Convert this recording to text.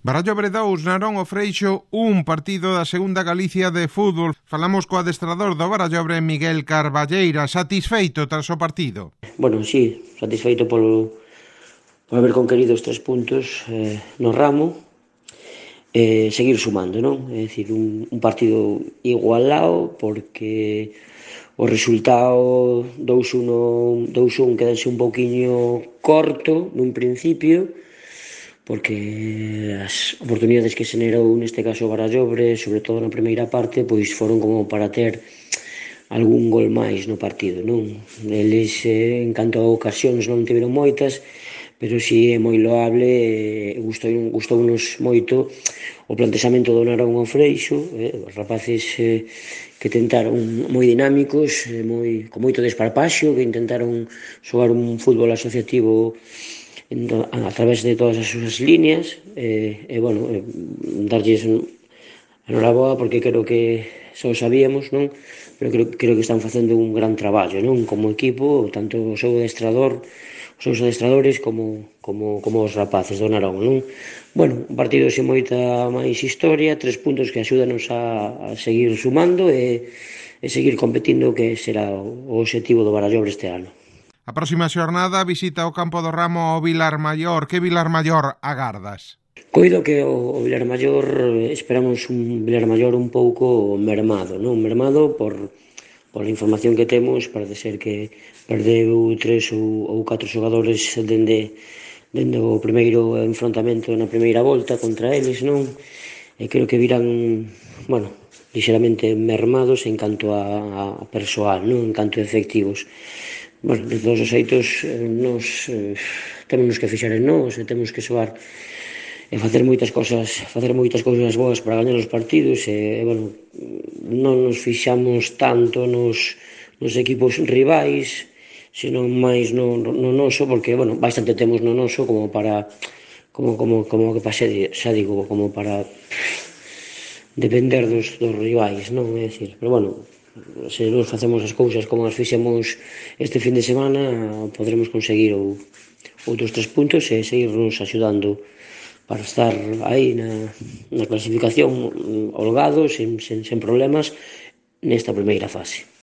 Barallobre 2, Narón o Freixo 1, partido da segunda Galicia de fútbol. Falamos co adestrador do Barallobre, Miguel Carballeira, satisfeito tras o partido. Bueno, sí, satisfeito por haber conquerido os 3 puntos no ramo e seguir sumando, non? É dicir, un partido igualado porque o resultado 2-1 quedase un pouquiño corto nun principio, porque as oportunidades que xenerou neste caso o Barallobre, sobre todo na primeira parte, pois foron como para ter algún gol máis no partido, non? Eles, en canto a ocasións, non tiveron moitas, pero si é moi loable, gustounos moito o plantexamento do Narón ao Freixo, os rapaces que tentaron moi dinámicos, con moito desparpaxo, que intentaron xogar un fútbol asociativo a través de todas as súas líneas, bueno, darlles enhoraboa porque creo que só sabíamos, non? Pero creo que están facendo un gran traballo, non? Como equipo, tanto o seu adestrador, os seus adestradores como os rapaces do Narón, non? Bueno, un partido sen moita máis historia, 3 puntos que axúdanos a seguir sumando e seguir competindo, que será o obxectivo do Barallobre este ano. A próxima xornada visita o campo do Ramo ao Vilarmaior. Que Vilarmaior agardas? Coido que o Vilarmaior, esperamos un Vilarmaior un pouco mermado, non? Mermado pola información que temos, parece ser que perdeu 3 ou 4 xogadores dende o primeiro enfrontamento na primeira volta contra eles, non? E creo que virán, bueno, lixeramente mermados en canto a persoal, non? En canto a efectivos. Bueno, de todos os xeitos, nos temos que fixar en nós e temos que xogar e facer moitas cousas boas para gañar os partidos e, bueno, non nos fixamos tanto nos equipos rivais, senón máis no noso, porque, bueno, bastante temos no noso como para, como que pase, xa digo, como para depender dos rivais, non? É dicir, pero, bueno, se nos facemos as cousas como as fixemos este fin de semana, podremos conseguir outros 3 puntos e seguirnos axudando para estar aí na clasificación holgados, sen problemas, nesta primeira fase.